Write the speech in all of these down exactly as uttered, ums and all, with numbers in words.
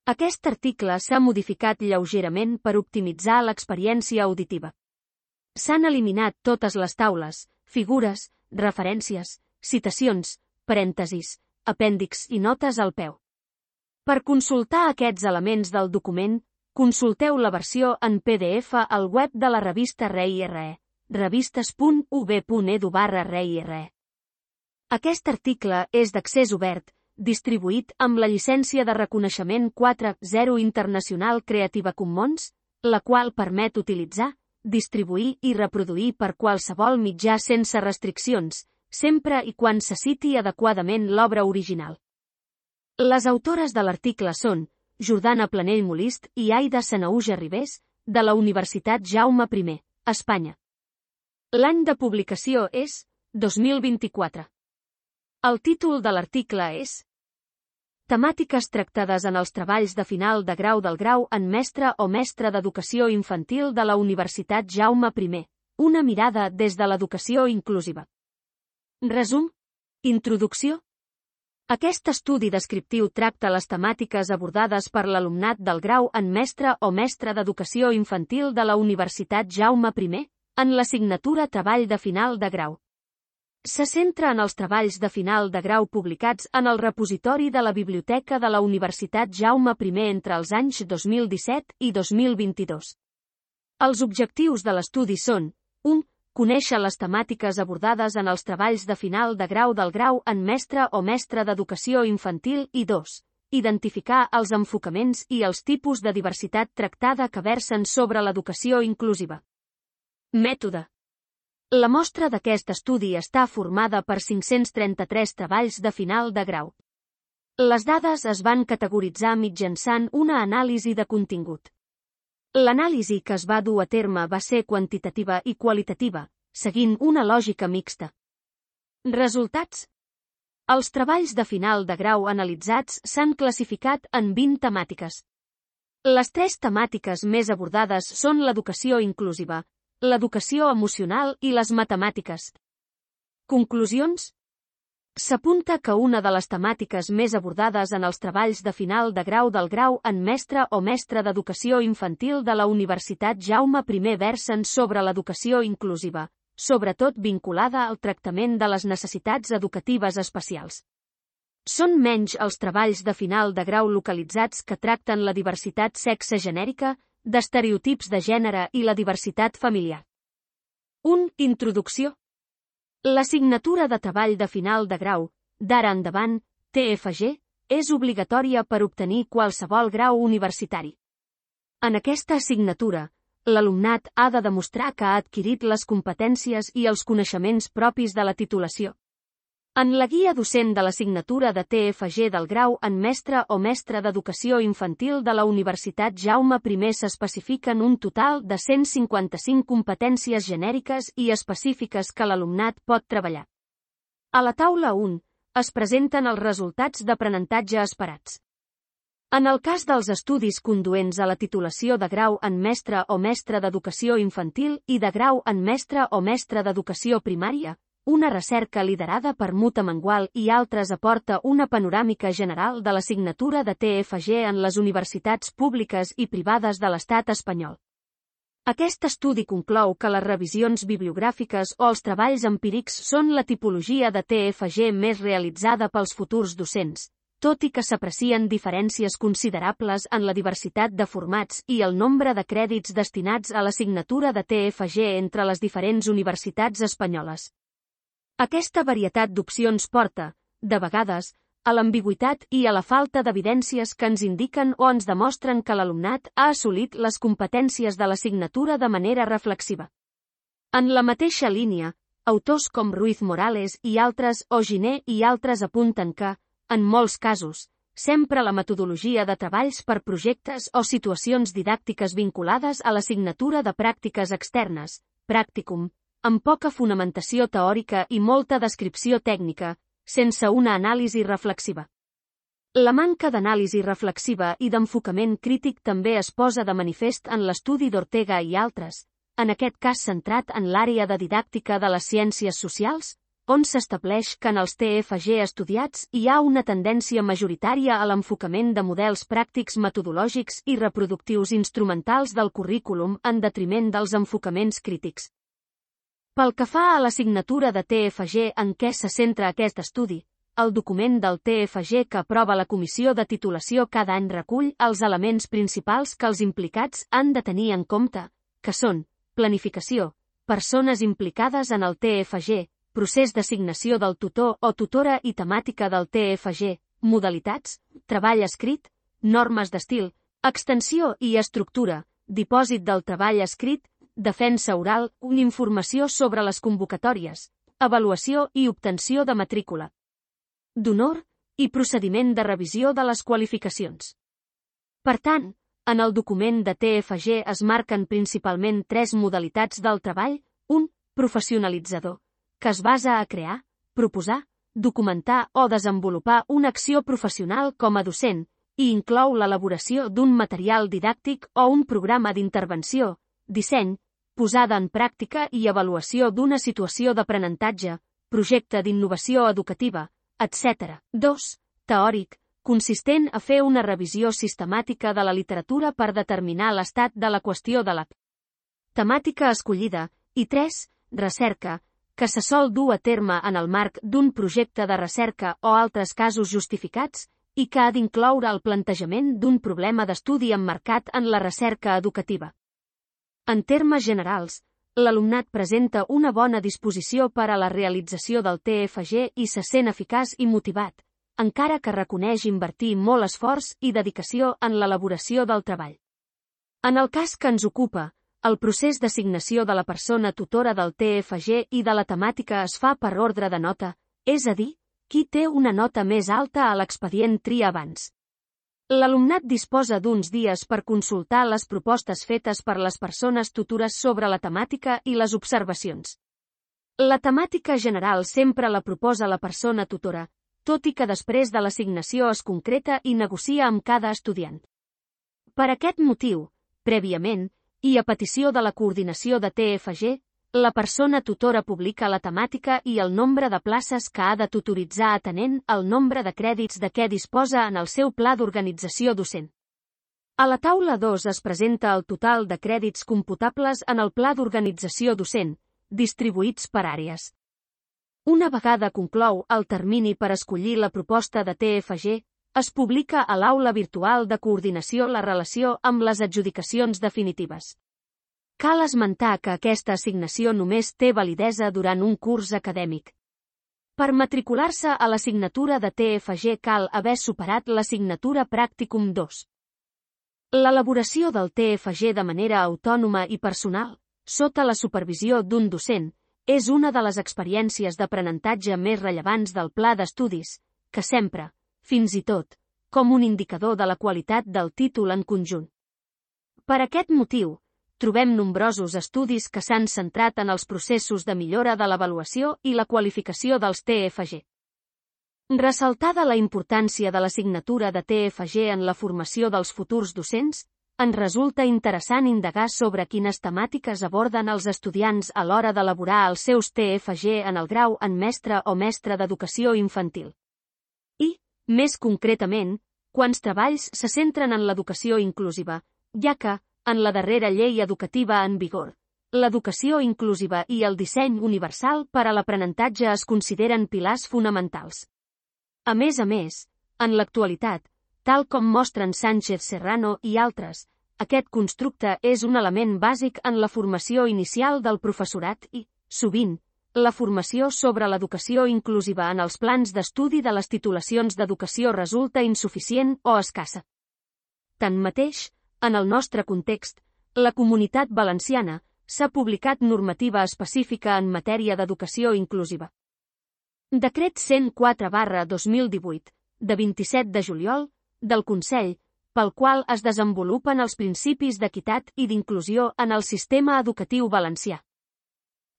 Aquest article s'ha modificat lleugerament per optimitzar l'experiència auditiva. S'han eliminat totes les taules, figures, referències, citacions, parèntesis, apèndix i notes al peu. Per consultar aquests elements del document, consulteu la versió en P D F al web de la revista ReIRE, revistes punt u b punt e d u barra ReIRE. Aquest article és d'accés obert, distribuït amb la llicència de reconeixement quatre punto zero internacional Creative Commons, la qual permet utilitzar, distribuir i reproduir per qualsevol mitjà sense restriccions, sempre i quan se citi adequadament l'obra original. Les autores de l'article són Jordana Planell Molist i Aida Sanahuja Ribés, de la Universitat Jaume I, Espanya. L'any de publicació és dos mil vint-i-quatre. El títol de l'article és Temàtiques tractades en els treballs de final de grau del grau en mestre o mestra d'educació infantil de la Universitat Jaume I, una mirada des de l'educació inclusiva. Resum. Introducció. Aquest estudi descriptiu tracta les temàtiques abordades per l'alumnat del grau en mestre o mestra d'educació infantil de la Universitat Jaume I, en l'assignatura Treball de final de grau. Se centra en els treballs de final de grau publicats en el repositori de la Biblioteca de la Universitat Jaume I entre els anys dos mil disset i dos mil vint-i-dos. Els objectius de l'estudi són u. Conèixer les temàtiques abordades en els treballs de final de grau del grau en mestre o mestra d'educació infantil i dos. Identificar els enfocaments i els tipus de diversitat tractada que versen sobre l'educació inclusiva. Mètode. La mostra d'aquest estudi està formada per cinc-cents trenta-tres treballs de final de grau. Les dades es van categoritzar mitjançant una anàlisi de contingut. L'anàlisi que es va dur a terme va ser quantitativa i qualitativa, seguint una lògica mixta. Resultats. Els treballs de final de grau analitzats s'han classificat en vint temàtiques. Les tres temàtiques més abordades són l'educació inclusiva, l'educació emocional i les matemàtiques. Conclusions. S'apunta que una de les temàtiques més abordades en els treballs de final de grau del grau en mestre o mestra d'educació infantil de la Universitat Jaume I versen sobre l'educació inclusiva, sobretot vinculada al tractament de les necessitats educatives especials. Són menys els treballs de final de grau localitzats que tracten la diversitat sexe-genèrica, d'estereotips de gènere i la diversitat familiar. un. Introducció. L'assignatura de treball de final de grau, d'ara endavant, T F G, és obligatòria per obtenir qualsevol grau universitari. En aquesta assignatura, l'alumnat ha de demostrar que ha adquirit les competències i els coneixements propis de la titulació. En la guia docent de l'assignatura de T F G del grau en mestre o mestra d'educació infantil de la Universitat Jaume I s'especifiquen un total de cent cinquanta-cinc competències genèriques i específiques que l'alumnat pot treballar. A la taula un, es presenten els resultats d'aprenentatge esperats. En el cas dels estudis conduents a la titulació de grau en mestre o mestra d'educació infantil i de grau en mestre o mestra d'educació primària, una recerca liderada per Muta Mengual i altres aporta una panoràmica general de l'assignatura de T F G en les universitats públiques i privades de l'estat espanyol. Aquest estudi conclou que les revisions bibliogràfiques o els treballs empírics són la tipologia de T F G més realitzada pels futurs docents, tot i que s'aprecien diferències considerables en la diversitat de formats i el nombre de crèdits destinats a l'assignatura de T F G entre les diferents universitats espanyoles. Aquesta varietat d'opcions porta, de vegades, a l'ambigüitat i a la falta d'evidències que ens indiquen o ens demostren que l'alumnat ha assolit les competències de l'assignatura de manera reflexiva. En la mateixa línia, autors com Ruiz Morales i altres o Giner i altres apunten que, en molts casos, sempre la metodologia de treballs per projectes o situacions didàctiques vinculades a l'assignatura de pràctiques externes, pràcticum, amb poca fonamentació teòrica i molta descripció tècnica, sense una anàlisi reflexiva. La manca d'anàlisi reflexiva i d'enfocament crític també es posa de manifest en l'estudi d'Ortega i altres, en aquest cas centrat en l'àrea de didàctica de les ciències socials, on s'estableix que en els T F G estudiats hi ha una tendència majoritària a l'enfocament de models pràctics metodològics i reproductius instrumentals del currículum en detriment dels enfocaments crítics. Pel que fa a l'assignatura de T F G en què se centra aquest estudi, el document del T F G que aprova la comissió de titulació cada any recull els elements principals que els implicats han de tenir en compte, que són planificació, persones implicades en el T F G, procés d'assignació del tutor o tutora i temàtica del T F G, modalitats, treball escrit, normes d'estil, extensió i estructura, dipòsit del treball escrit, defensa oral, una informació sobre les convocatòries, avaluació i obtenció de matrícula d'honor i procediment de revisió de les qualificacions. Per tant, en el document de T F G es marquen principalment tres modalitats del treball, un, professionalitzador, que es basa a crear, proposar, documentar o desenvolupar una acció professional com a docent, i inclou l'elaboració d'un material didàctic o un programa d'intervenció, disseny, posada en pràctica i avaluació d'una situació d'aprenentatge, projecte d'innovació educativa, etcètera. dos. Teòric, consistent a fer una revisió sistemàtica de la literatura per determinar l'estat de la qüestió de la temàtica escollida, i tres. Recerca, que se sol dur a terme en el marc d'un projecte de recerca o altres casos justificats, i que ha d'incloure el plantejament d'un problema d'estudi emmarcat en la recerca educativa. En termes generals, l'alumnat presenta una bona disposició per a la realització del T F G i se sent eficaç i motivat, encara que reconeix invertir molt esforç i dedicació en l'elaboració del treball. En el cas que ens ocupa, el procés d'assignació de la persona tutora del T F G i de la temàtica es fa per ordre de nota, és a dir, qui té una nota més alta a l'expedient tria abans. L'alumnat disposa d'uns dies per consultar les propostes fetes per les persones tutores sobre la temàtica i les observacions. La temàtica general sempre la proposa la persona tutora, tot i que després de l'assignació es concreta i negocia amb cada estudiant. Per aquest motiu, prèviament, i a petició de la coordinació de T F G, la persona tutora publica la temàtica i el nombre de places que ha de tutoritzar atenent al nombre de crèdits de què disposa en el seu pla d'organització docent. A la taula dos es presenta el total de crèdits computables en el pla d'organització docent, distribuïts per àrees. Una vegada conclou el termini per escollir la proposta de T F G, es publica a l'aula virtual de coordinació la relació amb les adjudicacions definitives. Cal esmentar que aquesta assignació només té validesa durant un curs acadèmic. Per matricular-se a l'assignatura de T F G cal haver superat l'assignatura Pràcticum dos. L'elaboració del T F G de manera autònoma i personal, sota la supervisió d'un docent, és una de les experiències d'aprenentatge més rellevants del pla d'estudis, que sempre, fins i tot, com un indicador de la qualitat del títol en conjunt. Per aquest motiu, trobem nombrosos estudis que s'han centrat en els processos de millora de l'avaluació i la qualificació dels T F G. Ressaltada la importància de l'assignatura de T F G en la formació dels futurs docents, ens resulta interessant indagar sobre quines temàtiques aborden els estudiants a l'hora d'elaborar els seus T F G en el grau en mestre o mestre d'educació infantil. I, més concretament, quants treballs se centren en l'educació inclusiva, ja que, en la darrera llei educativa en vigor, l'educació inclusiva i el disseny universal per a l'aprenentatge es consideren pilars fonamentals. A més a més, en l'actualitat, tal com mostren Sánchez Serrano i altres, aquest constructe és un element bàsic en la formació inicial del professorat i, sovint, la formació sobre l'educació inclusiva en els plans d'estudi de les titulacions d'educació resulta insuficient o escassa. Tanmateix, en el nostre context, la Comunitat Valenciana s'ha publicat normativa específica en matèria d'educació inclusiva. Decret cent quatre barra dos mil divuit, de vint-i-set de juliol, del Consell, pel qual es desenvolupen els principis d'equitat i d'inclusió en el sistema educatiu valencià.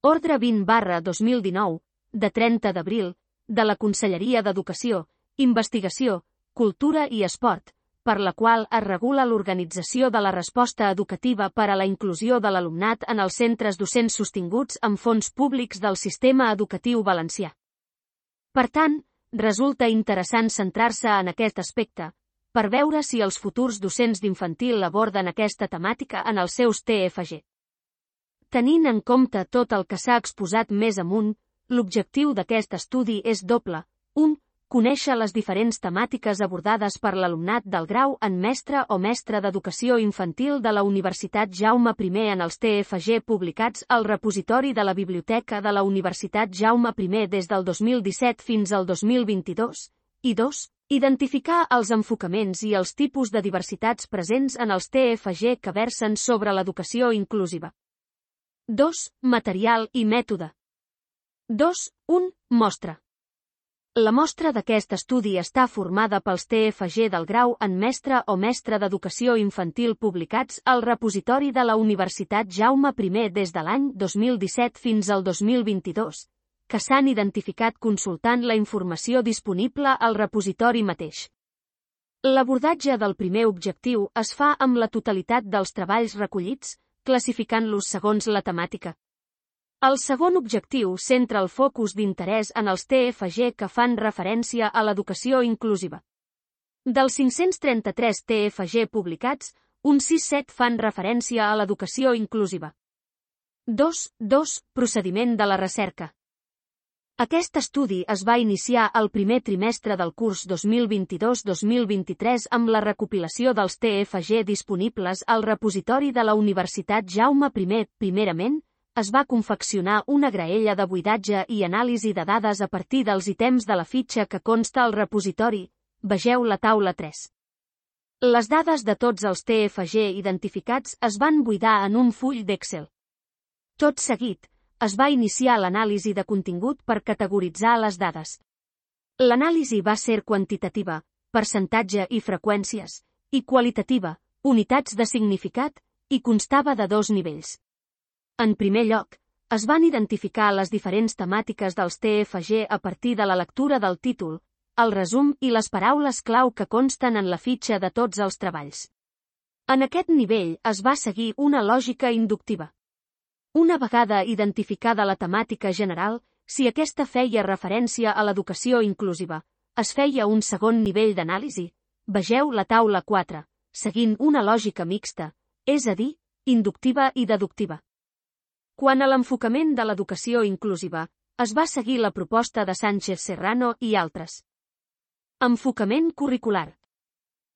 Ordre vint barra dos mil dinou, de trenta d'abril, de la Conselleria d'Educació, Investigació, Cultura i Esport, per la qual es regula l'organització de la resposta educativa per a la inclusió de l'alumnat en els centres docents sostinguts amb fons públics del sistema educatiu valencià. Per tant, resulta interessant centrar-se en aquest aspecte, per veure si els futurs docents d'infantil aborden aquesta temàtica en els seus T F G. Tenint en compte tot el que s'ha exposat més amunt, l'objectiu d'aquest estudi és doble. un Conèixer les diferents temàtiques abordades per l'alumnat del grau en mestre o mestra d'educació infantil de la Universitat Jaume I en els T F G publicats al repositori de la Biblioteca de la Universitat Jaume I des del dos mil disset fins al dos mil vint-i-dos, i dos Identificar els enfocaments i els tipus de diversitats presents en els T F G que versen sobre l'educació inclusiva. dos Material i mètode. dos un Mostra. La mostra d'aquest estudi està formada pels T F G del grau en mestre o mestra d'educació infantil publicats al repositori de la Universitat Jaume I des de l'any dos mil disset fins al dos mil vint-i-dos, que s'han identificat consultant la informació disponible al repositori mateix. L'abordatge del primer objectiu es fa amb la totalitat dels treballs recollits, classificant-los segons la temàtica. El segon objectiu centra el focus d'interès en els T F G que fan referència a l'educació inclusiva. Dels cinc-cents trenta-tres T F G publicats, uns sis-set fan referència a l'educació inclusiva. dos dos Procediment de la recerca. Aquest estudi es va iniciar al primer trimestre del curs dos mil vint-i-dos dos mil vint-i-tres amb la recopilació dels T F G disponibles al repositori de la Universitat Jaume I. Primerament, es va confeccionar una graella de buidatge i anàlisi de dades a partir dels ítems de la fitxa que consta al repositori. Vegeu la taula tres. Les dades de tots els T F G identificats es van buidar en un full d'Excel. Tot seguit, es va iniciar l'anàlisi de contingut per categoritzar les dades. L'anàlisi va ser quantitativa, percentatge i freqüències, i qualitativa, unitats de significat, i constava de dos nivells. En primer lloc, es van identificar les diferents temàtiques dels T F G a partir de la lectura del títol, el resum i les paraules clau que consten en la fitxa de tots els treballs. En aquest nivell es va seguir una lògica inductiva. Una vegada identificada la temàtica general, si aquesta feia referència a l'educació inclusiva, es feia un segon nivell d'anàlisi, vegeu la taula quatre, seguint una lògica mixta, és a dir, inductiva i deductiva. Quant a l'enfocament de l'educació inclusiva, es va seguir la proposta de Sánchez Serrano i altres. Enfocament curricular.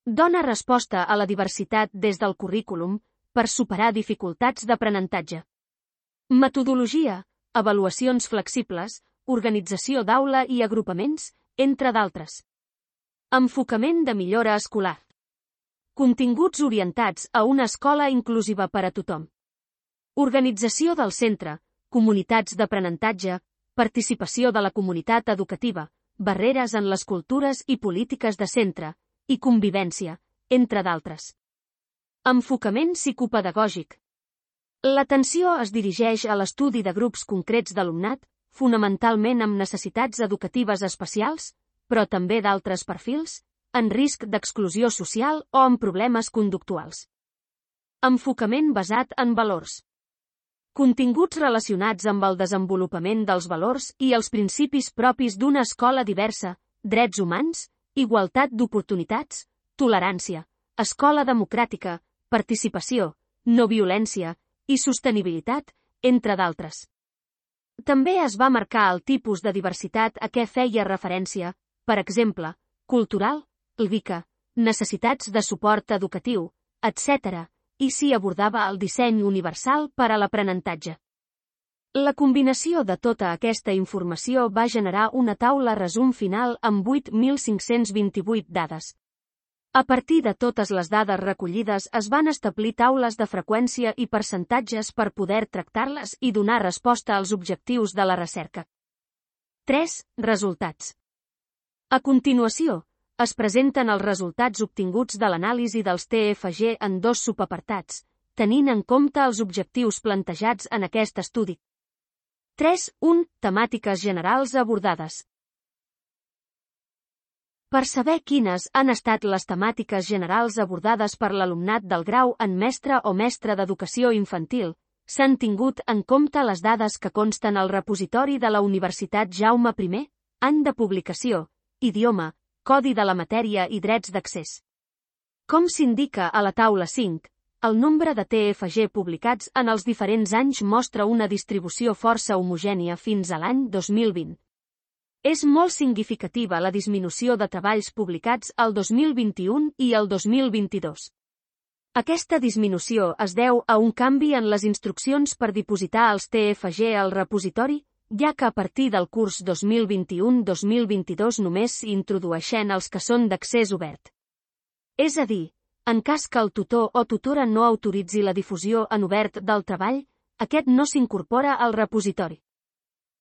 Dona resposta a la diversitat des del currículum per superar dificultats d'aprenentatge. Metodologia, avaluacions flexibles, organització d'aula i agrupaments, entre d'altres. Enfocament de millora escolar. Continguts orientats a una escola inclusiva per a tothom. Organització del centre, comunitats d'aprenentatge, participació de la comunitat educativa, barreres en les cultures i polítiques de centre, i convivència, entre d'altres. Enfocament psicopedagògic. L'atenció es dirigeix a l'estudi de grups concrets d'alumnat, fonamentalment amb necessitats educatives especials, però també d'altres perfils, en risc d'exclusió social o amb problemes conductuals. Enfocament basat en valors. Continguts relacionats amb el desenvolupament dels valors i els principis propis d'una escola diversa, drets humans, igualtat d'oportunitats, tolerància, escola democràtica, participació, no violència i sostenibilitat, entre d'altres. També es va marcar el tipus de diversitat a què feia referència, per exemple, cultural, lgíca, necessitats de suport educatiu, etcètera, i s'hi abordava el disseny universal per a l'aprenentatge. La combinació de tota aquesta informació va generar una taula resum final amb vuit mil cinc-cents vint-i-vuit dades. A partir de totes les dades recollides es van establir taules de freqüència i percentatges per poder tractar-les i donar resposta als objectius de la recerca. tres Resultats. A continuació, es presenten els resultats obtinguts de l'anàlisi dels T F G en dos subapartats, tenint en compte els objectius plantejats en aquest estudi. tres un Temàtiques generals abordades. Per saber quines han estat les temàtiques generals abordades per l'alumnat del grau en mestre o mestra d'educació infantil, s'han tingut en compte les dades que consten al repositori de la Universitat Jaume I, any de publicació, idioma, codi de la matèria i drets d'accés. Com s'indica a la taula cinc, el nombre de T F G publicats en els diferents anys mostra una distribució força homogènia fins a l'any dos mil vint. És molt significativa la disminució de treballs publicats el dos mil vint-i-u i el dos mil vint-i-dos. Aquesta disminució es deu a un canvi en les instruccions per dipositar els T F G al repositori, ja que a partir del curs dos mil vint-i-u dos mil vint-i-dos només s'hi introdueixen els que són d'accés obert. És a dir, en cas que el tutor o tutora no autoritzi la difusió en obert del treball, aquest no s'incorpora al repositori.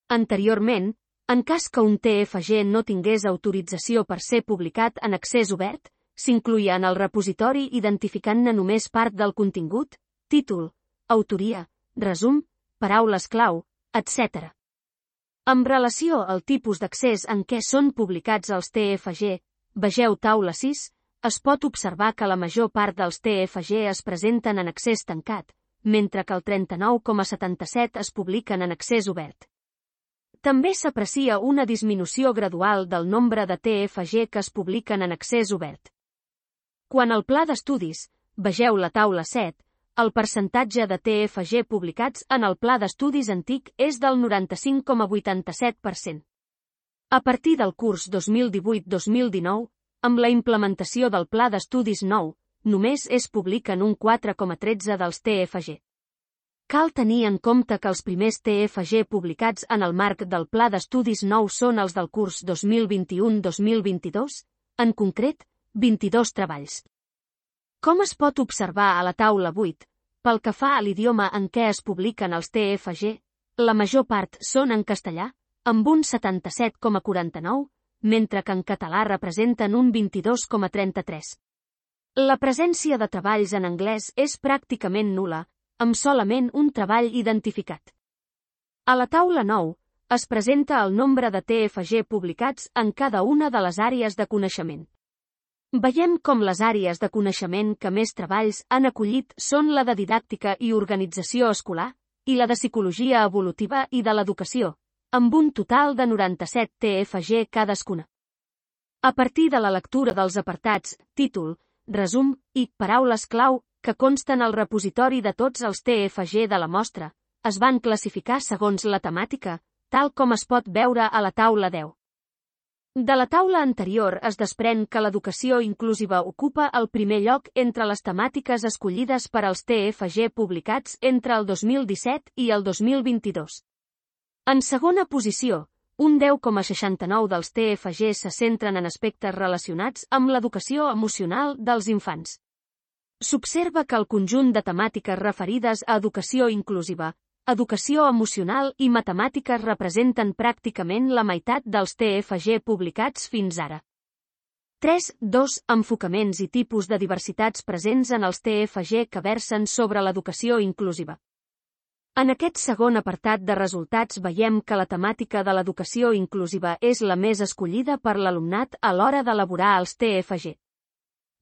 Anteriorment, en cas que un T F G no tingués autorització per ser publicat en accés obert, s'incluïa en el repositori identificant-ne només part del contingut, títol, autoria, resum, paraules clau, etcètera. En relació al tipus d'accés en què són publicats els T F G, vegeu taula sis, es pot observar que la major part dels T F G es presenten en accés tancat, mentre que el trenta-nou coma setanta-set es publiquen en accés obert. També s'aprecia una disminució gradual del nombre de T F G que es publiquen en accés obert. Quant al pla d'estudis, vegeu la taula set, el percentatge de T F G publicats en el pla d'estudis antic és del noranta-cinc coma vuitanta-set per cent. A partir del curs dos mil divuit dos mil dinou, amb la implementació del pla d'estudis nou, només es publiquen un quatre coma tretze dels T F G. Cal tenir en compte que els primers T F G publicats en el marc del pla d'estudis nou són els del curs dos mil vint-i-u dos mil vint-i-dos, en concret, vint-i-dos treballs. Com es pot observar a la taula vuit, pel que fa a l'idioma en què es publiquen els T F G, la major part són en castellà, amb un setanta-set coma quaranta-nou, mentre que en català representen un vint-i-dos coma trenta-tres. La presència de treballs en anglès és pràcticament nul·la, amb solament un treball identificat. A la taula nou, es presenta el nombre de T F G publicats en cada una de les àrees de coneixement. Veiem com les àrees de coneixement que més treballs han acollit són la de didàctica i organització escolar, i la de psicologia evolutiva i de l'educació, amb un total de noranta-set T F G cadascuna. A partir de la lectura dels apartats, títol, resum i paraules clau que consten al repositori de tots els T F G de la mostra, es van classificar segons la temàtica, tal com es pot veure a la taula deu. De la taula anterior es desprèn que l'educació inclusiva ocupa el primer lloc entre les temàtiques escollides per als T F G publicats entre el dos mil disset i el dos mil vint-i-dos. En segona posició, un deu coma seixanta-nou dels T F G se centren en aspectes relacionats amb l'educació emocional dels infants. S'observa que el conjunt de temàtiques referides a educació inclusiva, educació emocional i matemàtiques representen pràcticament la meitat dels T F G publicats fins ara. tres coma dos Enfocaments i tipus de diversitats presents en els T F G que versen sobre l'educació inclusiva. En aquest segon apartat de resultats veiem que la temàtica de l'educació inclusiva és la més escollida per l'alumnat a l'hora d'elaborar els T F G.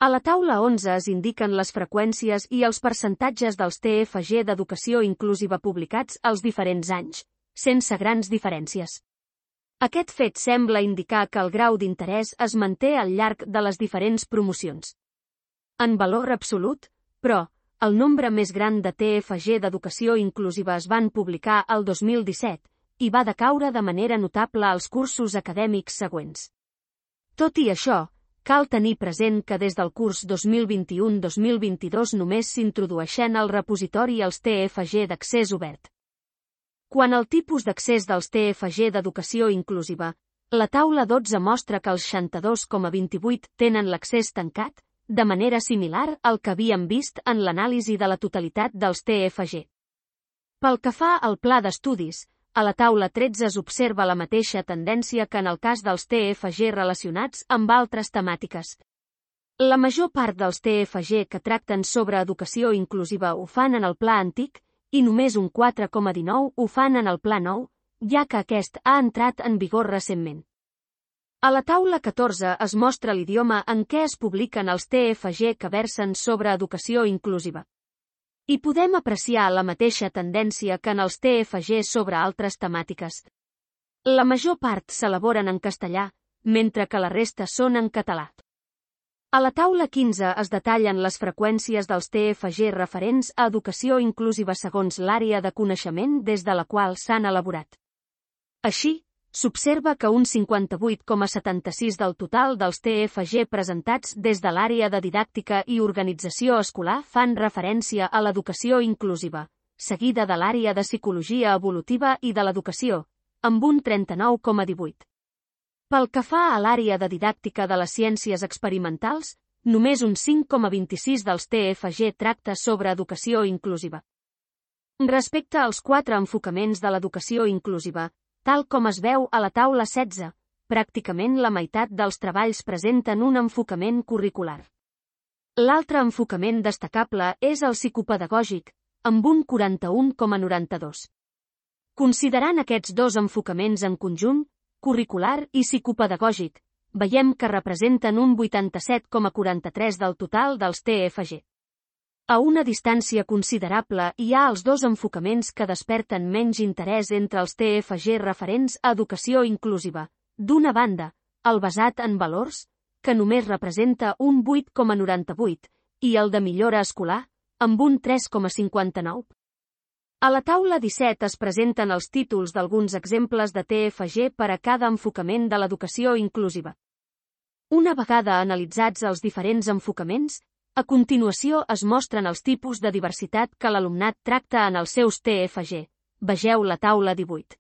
A la taula onze es indiquen les freqüències i els percentatges dels T F G d'educació inclusiva publicats als diferents anys, sense grans diferències. Aquest fet sembla indicar que el grau d'interès es manté al llarg de les diferents promocions. En valor absolut, però, el nombre més gran de T F G d'educació inclusiva es van publicar el dos mil disset, i va decaure de manera notable als cursos acadèmics següents. Tot i això, cal tenir present que des del curs dos mil vint-i-u dos mil vint-i-dos només s'introdueixen al repositori els T F G d'accés obert. Quant al tipus d'accés dels T F G d'educació inclusiva, la taula dotze mostra que els seixanta-dos coma vint-i-vuit tenen l'accés tancat, de manera similar al que havíem vist en l'anàlisi de la totalitat dels T F G. Pel que fa al pla d'estudis, a la taula tretze es observa la mateixa tendència que en el cas dels T F G relacionats amb altres temàtiques. La major part dels T F G que tracten sobre educació inclusiva ho fan en el pla antic, i només un quatre coma dinou ho fan en el pla nou, ja que aquest ha entrat en vigor recentment. A la taula catorze es mostra l'idioma en què es publiquen els T F G que versen sobre educació inclusiva. I podem apreciar la mateixa tendència que en els T F G sobre altres temàtiques. La major part s'elaboren en castellà, mentre que la resta són en català. A la taula quinze es detallen les freqüències dels T F G referents a educació inclusiva segons l'àrea de coneixement des de la qual s'han elaborat. Així, s'observa que un cinquanta-vuit coma setanta-sis del total dels T F G presentats des de l'àrea de didàctica i organització escolar fan referència a l'educació inclusiva, seguida de l'àrea de psicologia evolutiva i de l'educació, amb un trenta-nou coma divuit. Pel que fa a l'àrea de didàctica de les ciències experimentals, només un cinc coma vint-i-sis dels T F G tracta sobre educació inclusiva. Respecte als quatre enfocaments de l'educació inclusiva, tal com es veu a la taula setze, pràcticament la meitat dels treballs presenten un enfocament curricular. L'altre enfocament destacable és el psicopedagògic, amb un quaranta-un coma noranta-dos. Considerant aquests dos enfocaments en conjunt, curricular i psicopedagògic, veiem que representen un vuitanta-set coma quaranta-tres del total dels T F G. A una distància considerable hi ha els dos enfocaments que desperten menys interès entre els T F G referents a educació inclusiva. D'una banda, el basat en valors, que només representa un vuit coma noranta-vuit, i el de millora escolar, amb un tres coma cinquanta-nou. A la taula disset es presenten els títols d'alguns exemples de T F G per a cada enfocament de l'educació inclusiva. Una vegada analitzats els diferents enfocaments, a continuació es mostren els tipus de diversitat que l'alumnat tracta en els seus T F G. Vegeu la taula divuit.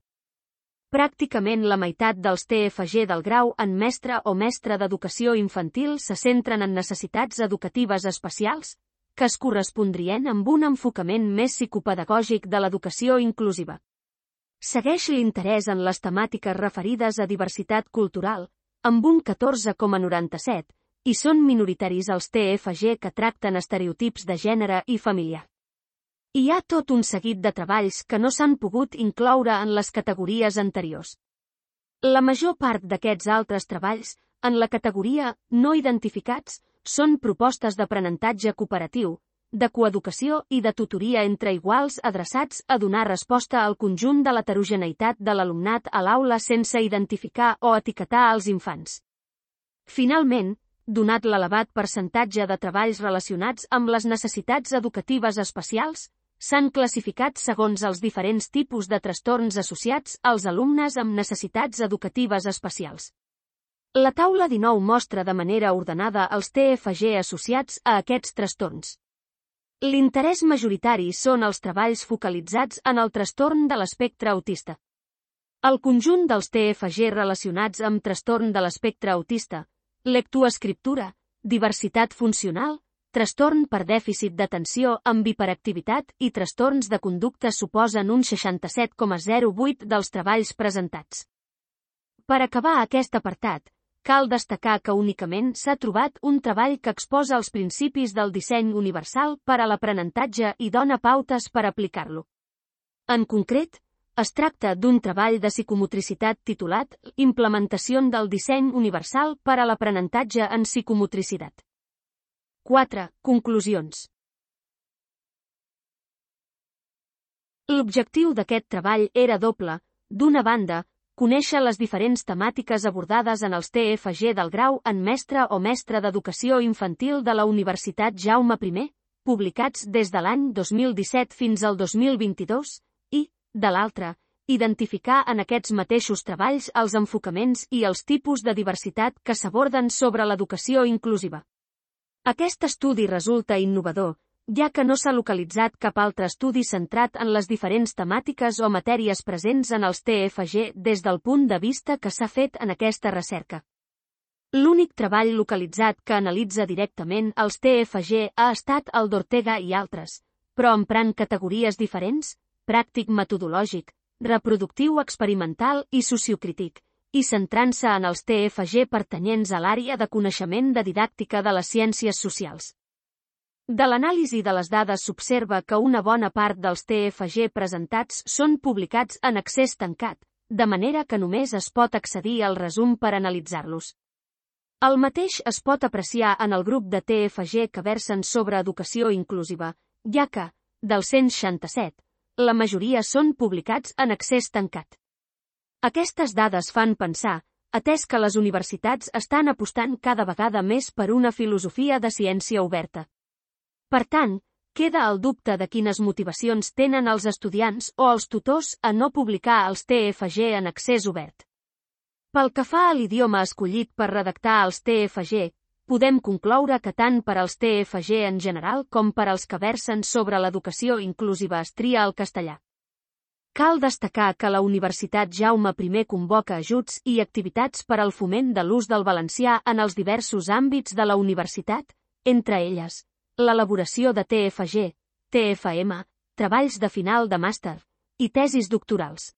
Pràcticament la meitat dels T F G del grau en mestre o mestra d'educació infantil se centren en necessitats educatives especials, que es correspondrien amb un enfocament més psicopedagògic de l'educació inclusiva. Segueix l'interès en les temàtiques referides a diversitat cultural, amb un catorze coma noranta-set, i són minoritaris els T F G que tracten estereotips de gènere i familiar. Hi ha tot un seguit de treballs que no s'han pogut incloure en les categories anteriors. La major part d'aquests altres treballs, en la categoria no identificats, són propostes d'aprenentatge cooperatiu, de coeducació i de tutoria entre iguals adreçats a donar resposta al conjunt de l'heterogeneïtat de l'alumnat a l'aula sense identificar o etiquetar els infants. Finalment, donat l'elevat percentatge de treballs relacionats amb les necessitats educatives especials, s'han classificat segons els diferents tipus de trastorns associats als alumnes amb necessitats educatives especials. La taula dinou mostra de manera ordenada els T F G associats a aquests trastorns. L'interès majoritari són els treballs focalitzats en el trastorn de l'espectre autista. El conjunt dels T F G relacionats amb trastorn de l'espectre autista, lectoescriptura, diversitat funcional, trastorn per dèficit d'atenció amb hiperactivitat i trastorns de conducta suposen un seixanta-set coma zero vuit dels treballs presentats. Per acabar aquest apartat, cal destacar que únicament s'ha trobat un treball que exposa els principis del disseny universal per a l'aprenentatge i dona pautes per aplicar-lo. En concret, es tracta d'un treball de psicomotricitat titulat Implementació del disseny universal per a l'aprenentatge en psicomotricitat. quatre. Conclusions. L'objectiu d'aquest treball era doble, d'una banda, conèixer les diferents temàtiques abordades en els T F G del grau en mestre o mestra d'educació infantil de la Universitat Jaume primer, publicats des de l'any dos mil disset fins al dos mil vint-i-dos, i, de l'altra, identificar en aquests mateixos treballs els enfocaments i els tipus de diversitat que s'aborden sobre l'educació inclusiva. Aquest estudi resulta innovador, ja que no s'ha localitzat cap altre estudi centrat en les diferents temàtiques o matèries presents en els T F G des del punt de vista que s'ha fet en aquesta recerca. L'únic treball localitzat que analitza directament els T F G ha estat el d'Ortega i altres, però emprant categories diferents, pràctic metodològic, reproductiu experimental i sociocrític, i centrant-se en els T F G pertanyents a l'àrea de coneixement de didàctica de les ciències socials. De l'anàlisi de les dades s'observa que una bona part dels T F G presentats són publicats en accés tancat, de manera que només es pot accedir al resum per analitzar-los. El mateix es pot apreciar en el grup de T F G que versen sobre educació inclusiva, ja que, dels cent seixanta-set, la majoria són publicats en accés tancat. Aquestes dades fan pensar, atès que les universitats estan apostant cada vegada més per una filosofia de ciència oberta. Per tant, queda el dubte de quines motivacions tenen els estudiants o els tutors a no publicar els T F G en accés obert. Pel que fa a l'idioma escollit per redactar els T F G, podem concloure que tant per als T F G en general com per als que versen sobre l'educació inclusiva es tria el castellà. Cal destacar que la Universitat Jaume I convoca ajuts i activitats per al foment de l'ús del valencià en els diversos àmbits de la universitat, entre elles, l'elaboració de T F G, T F M, treballs de final de màster i tesis doctorals.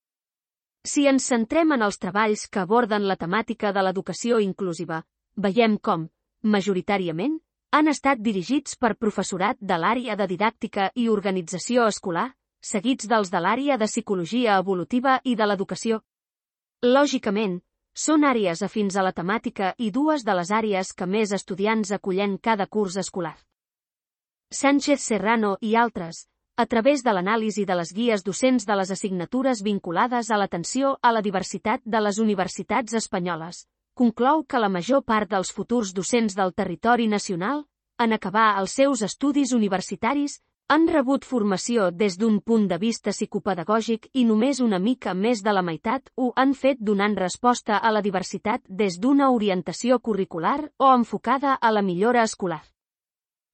Si ens centrem en els treballs que aborden la temàtica de l'educació inclusiva, veiem com, majoritàriament, han estat dirigits per professorat de l'àrea de didàctica i organització escolar, seguits dels de l'àrea de psicologia evolutiva i de l'educació. Lògicament, són àrees afins a la temàtica i dues de les àrees que més estudiants acullen cada curs escolar. Sánchez Serrano i altres, a través de l'anàlisi de les guies docents de les assignatures vinculades a l'atenció a la diversitat de les universitats espanyoles, conclou que la major part dels futurs docents del territori nacional, en acabar els seus estudis universitaris, han rebut formació des d'un punt de vista psicopedagògic i només una mica més de la meitat ho han fet donant resposta a la diversitat des d'una orientació curricular o enfocada a la millora escolar.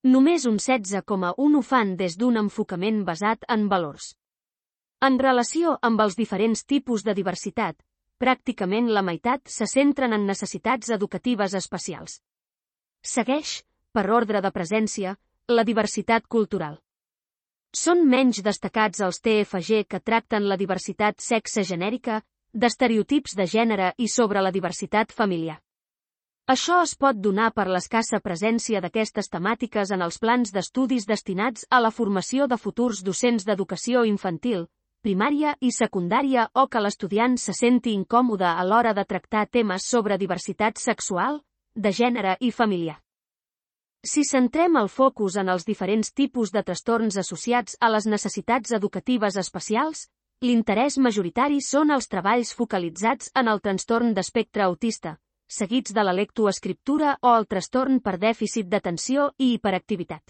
Només un setze coma u ho fan des d'un enfocament basat en valors. En relació amb els diferents tipus de diversitat, pràcticament la meitat se centren en necessitats educatives especials. Segueix, per ordre de presència, la diversitat cultural. Són menys destacats els T F G que tracten la diversitat sexe-genèrica, d'estereotips de gènere i sobre la diversitat familiar. Això es pot donar per l'escassa presència d'aquestes temàtiques en els plans d'estudis destinats a la formació de futurs docents d'educació infantil, primària i secundària o que l'estudiant se senti incòmode a l'hora de tractar temes sobre diversitat sexual, de gènere i familiar. Si centrem el focus en els diferents tipus de trastorns associats a les necessitats educatives especials, l'interès majoritari són els treballs focalitzats en el trastorn d'espectre autista, seguits de la lectoescriptura o el trastorn per dèficit d'atenció i hiperactivitat.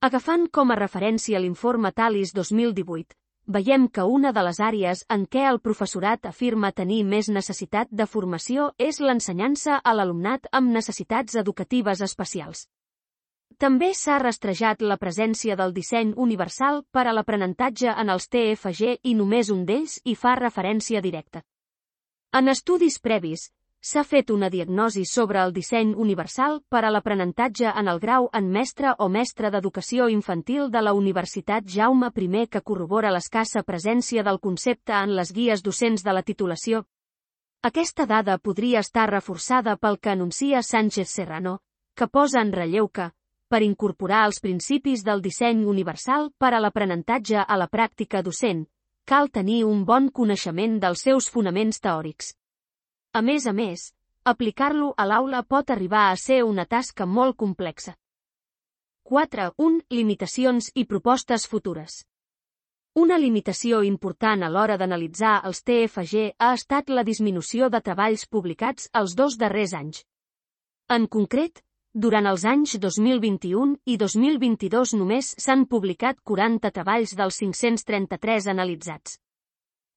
Agafant com a referència l'informe Talis dos mil divuit, veiem que una de les àrees en què el professorat afirma tenir més necessitat de formació és l'ensenyança a l'alumnat amb necessitats educatives especials. També s'ha rastrejat la presència del disseny universal per a l'aprenentatge en els T F G i només un d'ells hi fa referència directa. En estudis previs, s'ha fet una diagnosi sobre el disseny universal per a l'aprenentatge en el grau en mestre o mestra d'educació infantil de la Universitat Jaume I que corrobora l'escassa presència del concepte en les guies docents de la titulació. Aquesta dada podria estar reforçada pel que anuncia Sánchez Serrano, que posa en relleu que, per incorporar els principis del disseny universal per a l'aprenentatge a la pràctica docent, cal tenir un bon coneixement dels seus fonaments teòrics. A més a més, aplicar-lo a l'aula pot arribar a ser una tasca molt complexa. quatre. un. Limitacions i propostes futures. Una limitació important a l'hora d'analitzar els T F G ha estat la disminució de treballs publicats els dos darrers anys. En concret, durant els anys dos mil vint-i-u i dos mil vint-i-dos només s'han publicat quaranta treballs dels cinc-cents trenta-tres analitzats.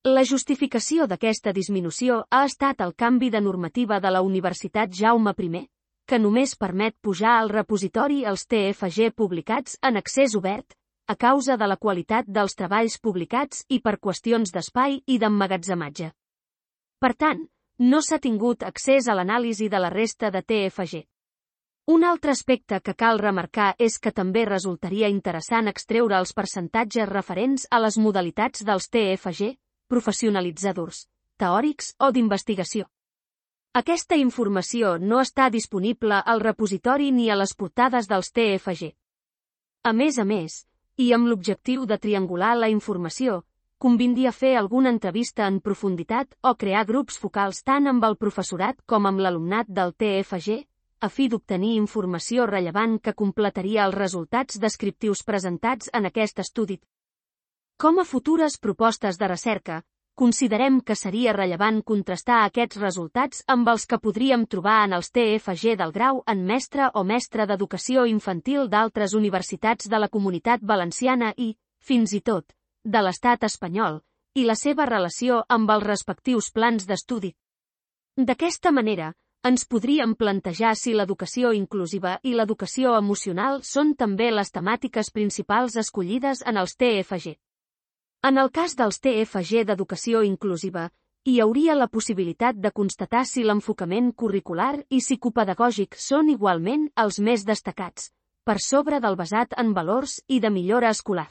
La justificació d'aquesta disminució ha estat el canvi de normativa de la Universitat Jaume I, que només permet pujar al repositori els T F G publicats en accés obert, a causa de la qualitat dels treballs publicats i per qüestions d'espai i d'emmagatzematge. Per tant, no s'ha tingut accés a l'anàlisi de la resta de T F G. Un altre aspecte que cal remarcar és que també resultaria interessant extreure els percentatges referents a les modalitats dels T F G, professionalitzadors, teòrics o d'investigació. Aquesta informació no està disponible al repositori ni a les portades dels T F G. A més a més, i amb l'objectiu de triangular la informació, convindria fer alguna entrevista en profunditat o crear grups focals tant amb el professorat com amb l'alumnat del T F G, a fi d'obtenir informació rellevant que completaria els resultats descriptius presentats en aquest estudi. Com a futures propostes de recerca, considerem que seria rellevant contrastar aquests resultats amb els que podríem trobar en els T F G del grau en mestre o mestre d'educació infantil d'altres universitats de la Comunitat Valenciana i, fins i tot, de l'Estat espanyol, i la seva relació amb els respectius plans d'estudi. D'aquesta manera, ens podríem plantejar si l'educació inclusiva i l'educació emocional són també les temàtiques principals escollides en els T F G. En el cas dels T F G d'educació inclusiva, hi hauria la possibilitat de constatar si l'enfocament curricular i psicopedagògic són igualment els més destacats, per sobre del basat en valors i de millora escolar.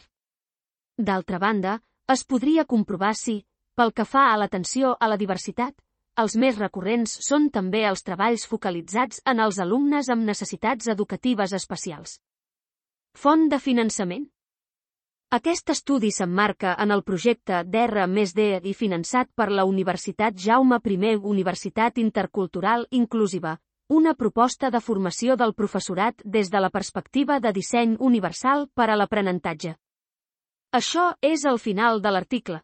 D'altra banda, es podria comprovar si, pel que fa a l'atenció a la diversitat, els més recurrents són també els treballs focalitzats en els alumnes amb necessitats educatives especials. Font de finançament. Aquest estudi s'emmarca en el projecte d'R més D i finançat per la Universitat Jaume I Universitat Intercultural Inclusiva, una proposta de formació del professorat des de la perspectiva de disseny universal per a l'aprenentatge. Això és el final de l'article.